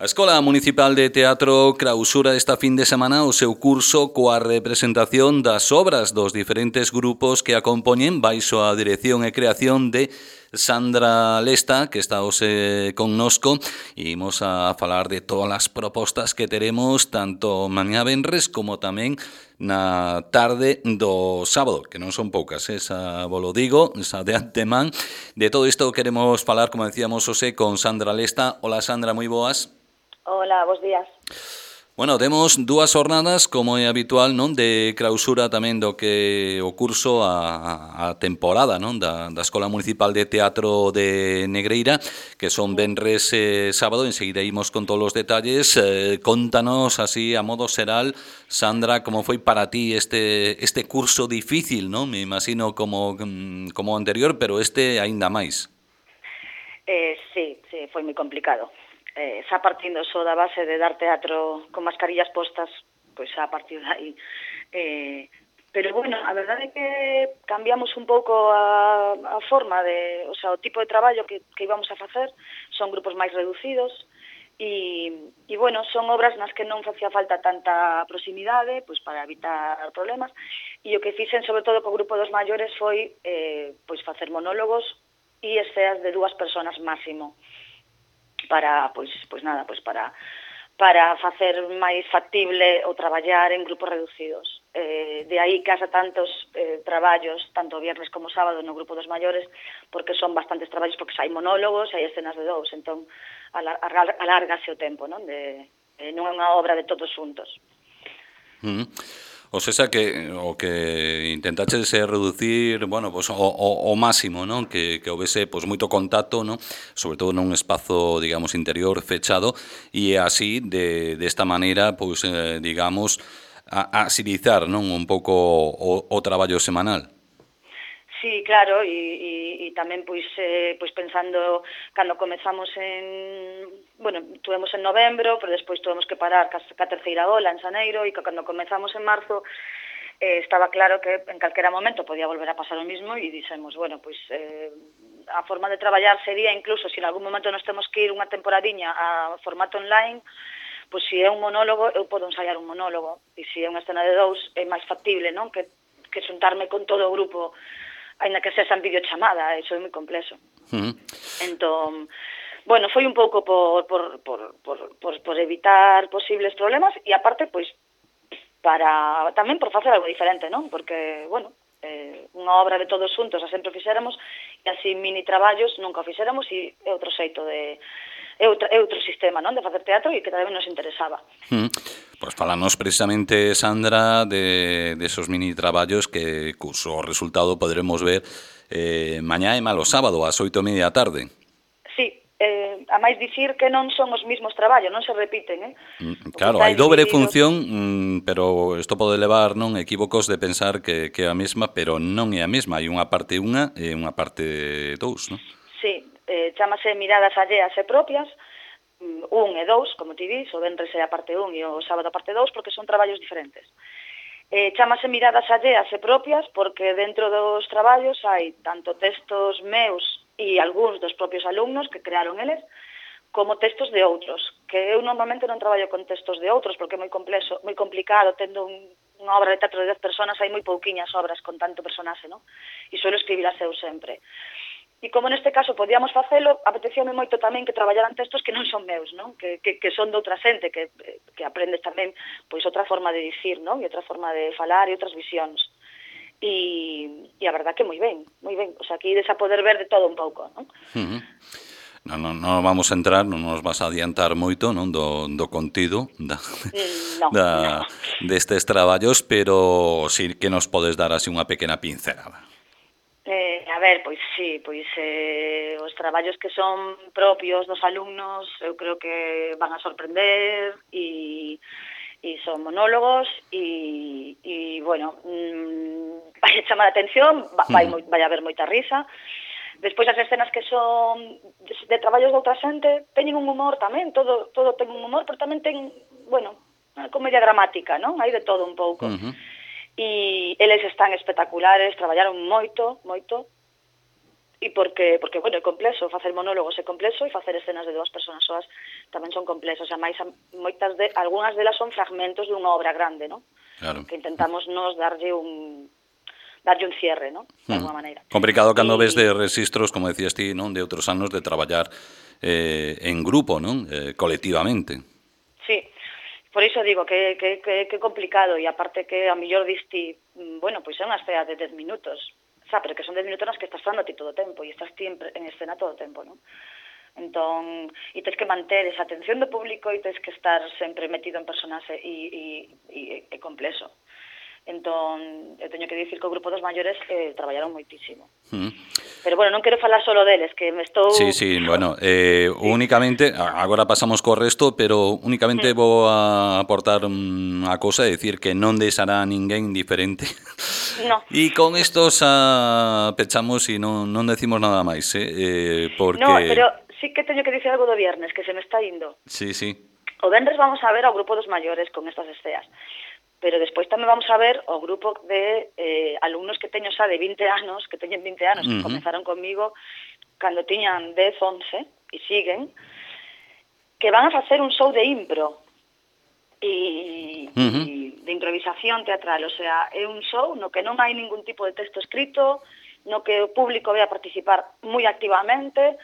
A Escola Municipal de Teatro clausura esta fin de semana o seu curso coa representación das obras dos diferentes grupos que a compoñen baixo a dirección e creación de Sandra Lesta, que está hoxe connosco, e imos a falar de todas as propostas que teremos tanto mañá venres como tamén na tarde do sábado, que non son poucas, esa volo digo, esa de antemán. De todo isto queremos falar, como decíamos, hoxe con Sandra Lesta. Hola Sandra, moi boas. Hola, bos días. Bueno, temos dúas jornadas, como é habitual, non, de clausura tamén do que o curso a temporada, non, da Escola Municipal de Teatro de Negreira, que son venres e sábado. Enseguida imos con todos os detalles. Contanos así a modo xeral, Sandra, como foi para ti este curso difícil, non? Me imagino como o anterior, pero este aínda máis. Sí, foi moi complicado. Xa partindo só da base de dar teatro con mascarillas postas, pois xa a partir de aí. Pero bueno, a verdade é que cambiamos un pouco a forma de, o sea, o tipo de traballo que íbamos a facer, son grupos máis reducidos, e bueno, son obras nas que non facía falta tanta proximidade, pois para evitar problemas, e o que fixen sobre todo co grupo dos maiores foi pois facer monólogos e escenas de 2 persoas máximo, para facer máis factible o traballar en grupos reducidos. De aí que haxa tantos traballos, tanto viernes como sábado no grupo dos maiores, porque son bastantes traballos, porque hai monólogos e hai escenas de 2, entón alárgase o tempo, non é unha obra de todos xuntos. O sea que o que intentaches é reducir, bueno, pues o máximo, non? Que houvese pues moito contacto, non? Sobre todo nun espazo, digamos, interior fechado, e así desta maneira, pues digamos, agilizar, non, un pouco o traballo semanal. Sí, claro, e tamén pois pensando cando comezamos tuvemos en novembro, pero despois tuvemos que parar ca terceira ola en xaneiro, e cando comezamos en marzo estaba claro que en calquera momento podía volver a pasar o mismo, e dixemos, bueno, pois a forma de traballar sería incluso se en algún momento nos temos que ir unha temporadiña a formato online, pois se é un monólogo, eu podo ensaiar un monólogo, e se é unha escena de 2 é máis factible, non? Que xuntarme con todo o grupo, aínda que sexa en videochamada, iso é moi complexo. Entón, bueno, foi un pouco por evitar posibles problemas, e aparte, pois, tamén por facer algo diferente, non? Porque, bueno, unha obra de todos xuntos a sempre fixéramos, e así mini traballos nunca o fixéramos, e é outro xeito é outro sistema, non, de facer teatro, e que tamén nos interesaba. Pois falamos precisamente, Sandra, de esos mini traballos que cuso resultado poderemos ver mañá e malo sábado ás 8:30 da tarde. Sí, a máis dicir que non son os mismos traballos, non se repiten, Claro, hai dobre función, pero isto pode levar, non, equívocos de pensar que é a mesma, pero non é a mesma, hai unha parte 1 e unha parte 2, non? Sí, chámase Miradas alleas e propias, 1 e 2, como ti dis, o venres é a parte 1 e o sábado a parte 2, porque son traballos diferentes. Chámase Miradas alleas e propias porque dentro dos traballos hai tanto textos meus e algúns dos propios alumnos que crearon eles, como textos de outros, que eu normalmente non traballo con textos de outros porque é moi complexo, moi complicado, tendo unha obra de teatro de 10 persoas, hai moi pouquiñas obras con tanto personaxe, non? E suelo escribirlas eu sempre. E como neste caso podíamos facelo, apetecíame moito tamén que traballaran textos que non son meus, non? Que son de outra xente, que aprendes tamén pois outra forma de dicir, non? E outra forma de falar e outras visións. E a verdad que moi ben, moi ben. O sea, aquí ides a poder ver de todo un pouco, non? Non vamos a entrar, non nos vas a adiantar moito, non, do contido destes traballos, pero sí que nos podes dar así unha pequena pincelada. A ver, pois sí, os traballos que son propios dos alumnos eu creo que van a sorprender, e son monólogos, e bueno, vai a chamar a atención, vai haber moita risa. Despois as escenas que son de traballos de outra xente teñen un humor tamén, todo ten un humor, pero tamén ten, bueno, unha comedia dramática, non? Hai de todo un pouco. E eles están espectaculares, traballaron moito, bueno, é complexo, facer monólogos é complexo e facer escenas de 2 persoas soas tamén son complexos, algunhas delas son fragmentos dunha obra grande, non? Claro. Que intentamos nos darlle un cierre, non? De alguma maneira. Complicado cando ves de registros, como decías ti, non, de outros anos de traballar en grupo, non? Colectivamente. Sí, por iso digo que complicado, e aparte que a mellor diste, bueno, pois é unha escena de 10 minutos, pero que son 10 minutos nas que estás falando ti todo o tempo e estás ti en escena todo o tempo, non? Entón, e tens que manter esa atención do público e tens que estar sempre metido en personaxe e é complexo. Entón, eu teño que dicir que o grupo dos maiores traballaron moitísimo. Pero, bueno, non quero falar solo deles, que me estou... Sí, bueno, únicamente, agora pasamos co resto, pero únicamente vou a aportar unha cousa, é dicir que non deixará ninguén indiferente. No. E con isto xa pechamos e non decimos nada máis, porque... No, pero sí que teño que dicir algo do viernes, que se me está indo. Sí. O venres vamos a ver ao grupo dos maiores con estas esceas. Pero despois tamén vamos a ver o grupo de alumnos que teño xa de 20 anos, que teñen 20 anos, que comenzaron comigo cando tiñan 10, 11, e siguen, que van a facer un show de impro e de improvisación teatral. O sea, é un show no que non hai ningún tipo de texto escrito, no que o público vai a participar moi activamente,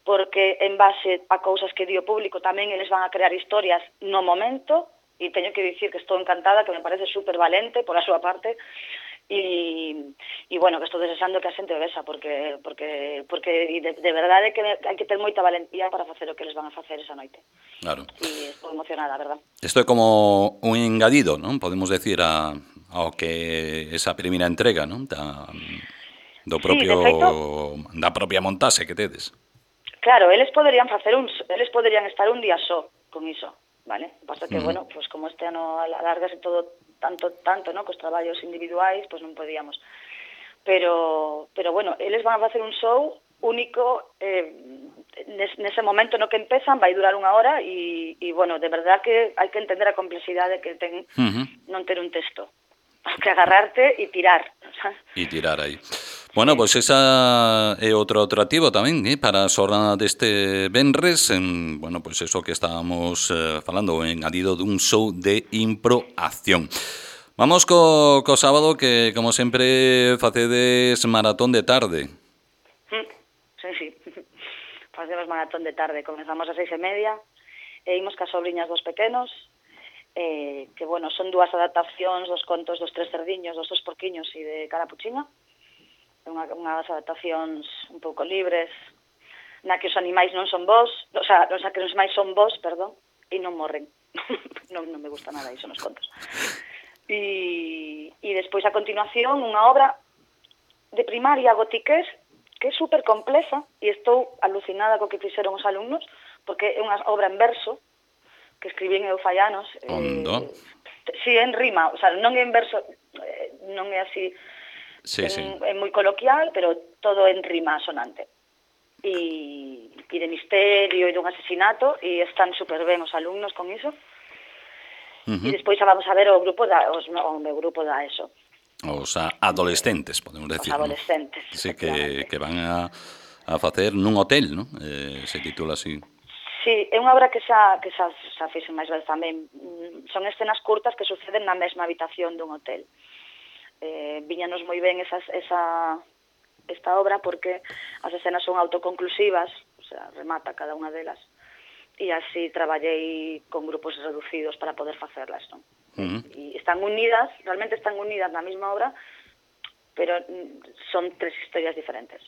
porque en base a cousas que di o público tamén eles van a crear historias no momento. E teño que dicir que estou encantada, que me parece super valente por a súa parte, e bueno, que estou desexando que a xente o vexa, porque de verdade que hai que ter moita valentía para facer o que eles van a facer esa noite. Claro. E estou emocionada, a verdad. Isto é como un engadido, non? Podemos decir ao que esa primeira entrega, non? Do propio, sí, de feito, da propia montaxe que tedes. Claro, eles poderían estar un día só con iso. Vale, pasa que, bueno, pues como este ano alargase todo tanto, no, cos traballos individuais, pues non podíamos. Pero bueno, eles van a facer un show único nese momento no que empezan, vai durar 1 hora e bueno, de verdad que hai que entender a complexidade que ten non ter un texto. Hay que agarrarte e tirar. E tirar aí. Bueno, pois esa é outro atractivo tamén, para a xornada deste venres, bueno, pois eso que estábamos falando, o engadido dun show de improacción. Vamos co sábado, que como sempre facedes maratón de tarde. Sí. Facemos maratón de tarde, comenzamos a 6:30, e imos cas sobriñas dos pequenos, que, bueno, son 2 adaptacións dos contos dos 3 cerdiños, dos 2 porquiños e de Carapuchiña, unhas adaptacións un pouco libres, na que os animais non son vos, o sea, que os animais son vos, perdón, e non morren. non me gusta nada iso nos contos. E despois, a continuación, unha obra de primaria gotiqués, que é super complexa, e estou alucinada co que fixeron os alumnos, porque é unha obra en verso, que escribín eu fai anos. Sí, en rima, o sea, non é en verso, non é así... Sí. É moi coloquial, pero todo en rima sonante. E de misterio e dun asesinato, e están super ben os alumnos con iso. E despois vamos a ver o meu grupo da ESO. Os adolescentes, podemos decir. Os adolescentes. ¿No? Sí, que van a facer nun hotel, ¿no? Se titula así. Sí, é unha obra que xa fixen máis veces tamén. Son escenas curtas que suceden na mesma habitación dun hotel. Viñanos moi ben esta obra porque as escenas son autoconclusivas, o sea, remata cada unha delas, e así traballei con grupos reducidos para poder facerlas, non? E están unidas, realmente están unidas na mesma obra, pero son 3 historias diferentes.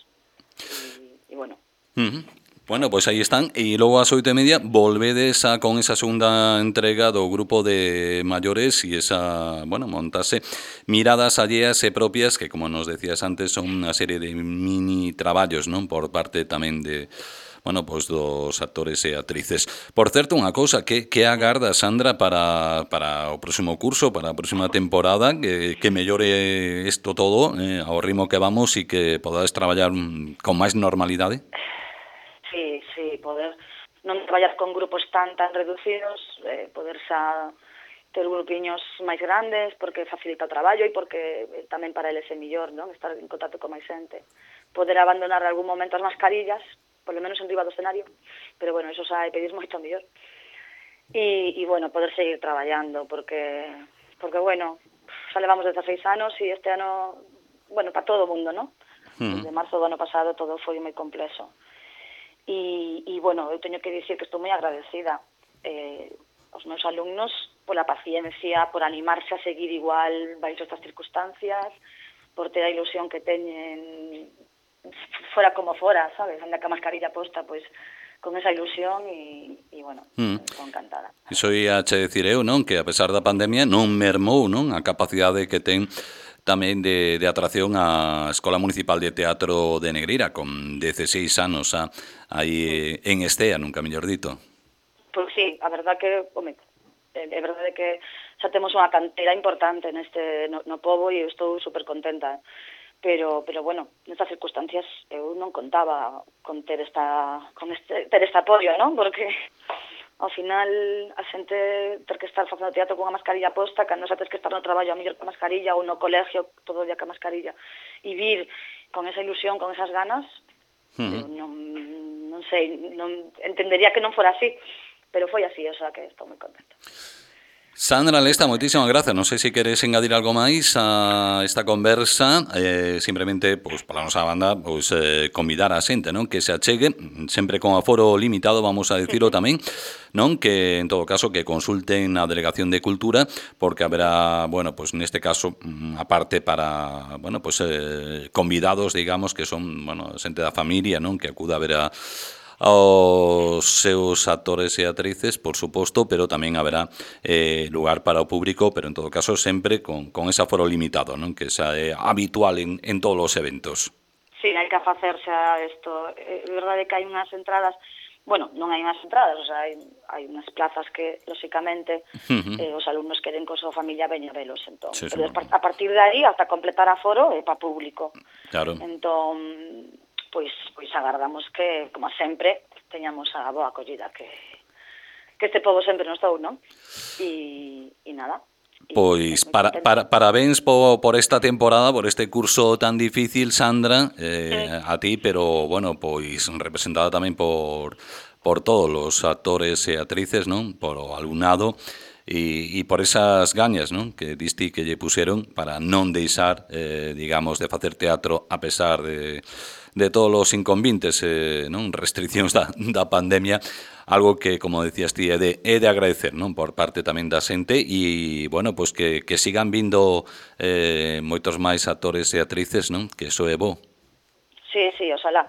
E bueno... Bueno, pois aí están, e logo ás 8:30 volvedes con esa segunda entrega do grupo de maiores e esa, bueno, montase miradas alleas e propias que, como nos decías antes, son unha serie de mini traballos, non? Por parte tamén de, bueno, pois dos actores e actrices. Por certo, unha cousa, que agarda, Sandra, para o próximo curso, para a próxima temporada, que mellore isto todo ao ritmo que vamos e que podades traballar con máis normalidade? Sí, poder non traballar con grupos tan reducidos, poder xa ter grupiños máis grandes, porque facilita o traballo e porque tamén para eles é mellor, non? Estar en contacto con máis xente. poder abandonar algún momento as mascarillas, por lo menos en riba do escenario, pero bueno, eso xa é pedir moito mellor. E bueno, poder seguir traballando, porque bueno, xa levamos 16 anos e este ano, bueno, para todo o mundo, ¿no? Desde marzo do ano pasado todo foi moi complexo. E bueno, eu teño que dicir que estou moi agradecida aos meus alumnos pola paciencia, por animarse a seguir igual baixo estas circunstancias, por ter a ilusión que teñen fora como fora, sabes? Anda ca mascarilla posta, pois con esa ilusión e bueno, estou encantada. Iso ia che dicir eu, non? Que a pesar da pandemia non mermou, non? A capacidade que ten tamén de atracción a Escola Municipal de Teatro de Negreira, con 16 anos aí en estea, nunca mellor dito. Pois sí, a verdad que, home, é verdade que xa temos unha cantera importante no pobo e eu estou super contenta. Pero bueno, nestas circunstancias eu non contaba con ter este apoio, non? Porque ao final a xente ter que estar facendo teatro con unha mascarilla posta, cando xa tens que estar no traballo a mellor con mascarilla ou no colegio todo o día con mascarilla e vir con esa ilusión, con esas ganas, eu non sei, entendería que non fora así, pero foi así, o sea que estou moi contenta. Sandra Lesta, moitísimas grazas. Non sei se queres engadir algo máis a esta conversa, simplemente, pois, pola nosa banda, pois, convidar a xente, non? Que se achegue, sempre con aforo limitado, vamos a dicirlo tamén, non? Que, en todo caso, que consulten a Delegación de Cultura, porque haberá, bueno, pois, neste caso, aparte para, bueno, pois, convidados, digamos, que son, bueno, xente da familia, non? Que acuda a ver aos seus actores e actrices, por suposto, pero tamén haberá lugar para o público, pero en todo caso sempre con ese aforo limitado, non? Que xa é habitual en todos os eventos. Sí, hai que facerse a isto. É verdade que hai unhas entradas, bueno, non hai unhas entradas, o sea, hai unhas plazas que, lóxicamente, os alumnos queren con a súa familia veña velos, entón. Sí, pero a partir de aí, hasta completar aforo, é para público. Claro. Entón, pois agardamos que, como sempre, teñamos a boa acollida que este pobo sempre nos dou, non? E nada. Pois parabéns por esta temporada, por este curso tan difícil, Sandra, a ti, pero, bueno, pois representada tamén por todos os actores e actrices, non? Por o alumnado e por esas gañas, non? Que diste que lle puseron para non deixar, digamos, de facer teatro a pesar de todos os inconvenientes, non? Restriccións da pandemia, algo que, como decías ti, é de agradecer, non? Por parte tamén da xente e, bueno, pois que sigan vindo moitos máis actores e actrices, non? Que iso é bo. Sí, oxalá.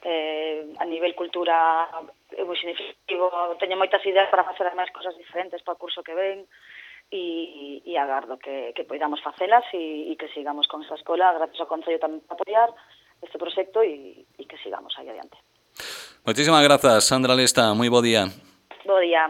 A nivel cultura é moi significativo, teño moitas ideas para facer máis cosas diferentes para o curso que ven e agardo que poidamos facelas e que sigamos con esa escola, gracias ao Concello tamén para apoiar este proxecto e que sigamos aí adiante. Moitísimas grazas, Sandra Lesta, moi bo día. Bo día.